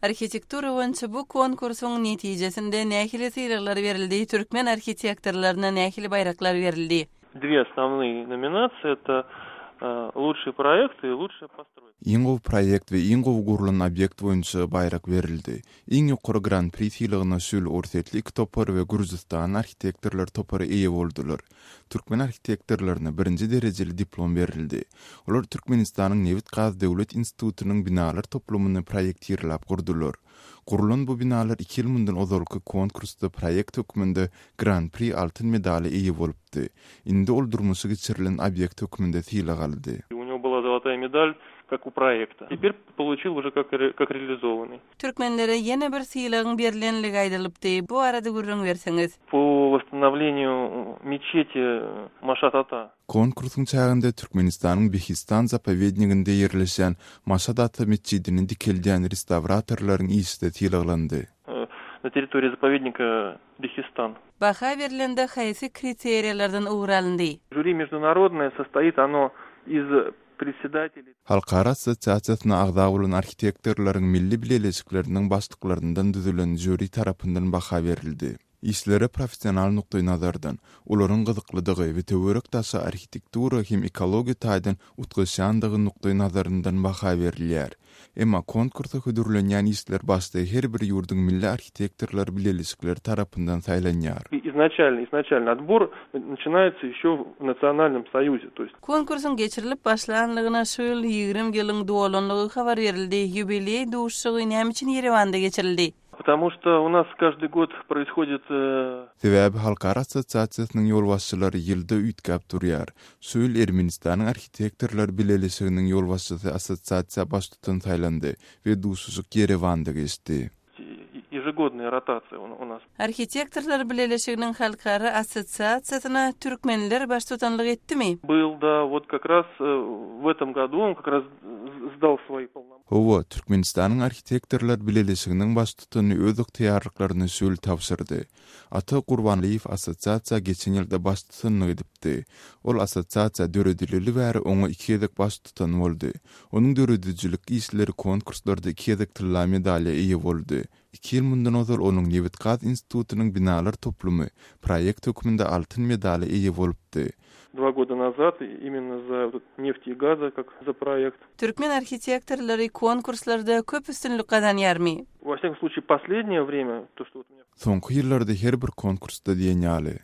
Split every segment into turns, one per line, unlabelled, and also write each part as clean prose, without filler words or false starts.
Arxitektura boýunça bu konkursuň netijesinde nähili syýraglar berildi, türkmen arxitektorlaryna nähili baýraklar berildi.
Две основные номинации — это лучший проект и лучшая постройка.
Иң проект ve iň gurulan obyekt boýunça baýrak berildi. Iň ýokary Grand Prix syýlygyna sül orsetli iki topar we Gürjistan arxitektorlar topary eýe boldular. Türkmen arxitektorlaryna birinji derejeli diplom berildi. Olar Türkmenistanyň Nevit Gaz Döwlet Institutunyň binalar toplumyny proýektirlap gurdular. Gurulan bu binalar 2 ýyl mundan ozalky konkursda proýekt hökmünde Grand Prix altyn medali eýe bolupdy. Indi ol durmuşy geçirilen obyekt hökmünde syýlag aldy.
У него была золотая медаль, как у проекта. Теперь получил уже как реализованный.
Türkmenlere ýene bir syýlagyň berilenligi aýdylypdy. Bu arada gurrun berseňiz.
По восстановлению мечети Машат Ата.
Konkursun çağında Türkmenistanyň Behistan zapovedniginde ýerleşen Maşad Ata meçidini dikelden restavratorlaryň ýyşyda syýlaglandy.
На территории заповедника Бехистан.
Baha berilende haýsy kriteriýalardan uğralandy?
Жюри международное, состоит оно из председателей.
Halkara assosiasiýasyna agda bolan arxitektorlaryň milli bileşikleriniň başlyklaryndan düzülen jüri tarapyndan baha berildi. İşlere professional nukday nazardan, olaryň gyzyklydygy we töwerek taşy arxitektura hem ekologiýa taýdan utgaşandygy nukday nazaryndan baha berilýär. Emma konkursa hödürlenýän işler başda her bir ýurduň milli arxitektorlar bileşikleri tarapyndan saýlanýar.
Изначально отбор начинается еще в Национальном союзе, то есть.
Konkursun geçirilip başlanlygyna şu ýyl 20 ýylyň dolanlygy habar berildi. Юбилей duşşugy näme üçin Yerewanda geçirildi?
Потому что у нас каждый год происходит...
Sebäbi halkara assosiasiýasynyň ýolbaşçylary ýylda üýtgäp durýar. Şu ýyl Ermenistanyň arxitektorlar bileşiginiň ýolbaşçysy assosiasiýa baş tutan saýlandy we duşşulyk Yerewanda geçdi.
Ежегодная ротация у нас.
Arxitektorlar bileşiginiň halkara assosiasiýasyna türkmenler baş tutanlyk etdimi?
Был, да, вот как раз в этом году он как раз сдал свои полномочия.
Owa Türkmenistanyň arxitektorlar bileşiginiň baş tutany öz yktyýarlyklaryny şöyle tapşyrdy. Ata Gurbanlyýew assosiasiýa geçen ýylda baş tutanlyk edipdi. Ol assosiasiýa döredileli bäri oňa 2 ýyldyk baş tutan boldy. Onuň döredicilik işleri konkurslarda 2 ýyldyk tylla medaliýa eýe boldy. 2 ýyl mundan ozal onuň Nevit Gaz Institutunyň binalar toplumy proýekt hökmünde altyn medali eýe bolupdy.
2 года назад именно за нефть и газа, как за проект.
Türkmen arxitektorlary konkurslarda köp üstünlük kazanýarmy?
Во всяком случае, последнее время, то, что вот у меня...
Soňky ýyllarda her bir konkursda diýenýäli.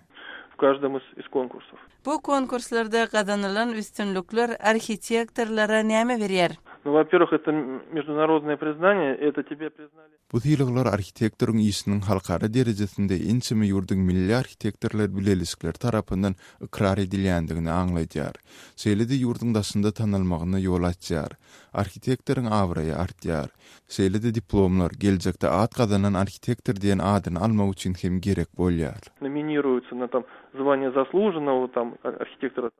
В каждом из конкурсов.
Bu konkurslarda kazanılan üstünlükler arxitektorlara näme berýär?
Ну, во-первых, это международное признание, это тебе признали.
Bu syýlaglar arxitektoryň işiniň halkara derejesinde ençeme ýurduň milli arxitektorlar bileşikleri tarapyndan ikrar edilýändigini aňlaýar. Şeýle-de ýurduň daşynda tanylmagyna ýol açýar. Arxitektoryň awraýy artýar. Şeýle-de diplomlar geljekde ad kazanan arxitektor diýen adyny almak üçin hem gerek bolýar.
Номинируются на там звание заслуженного там архитектора.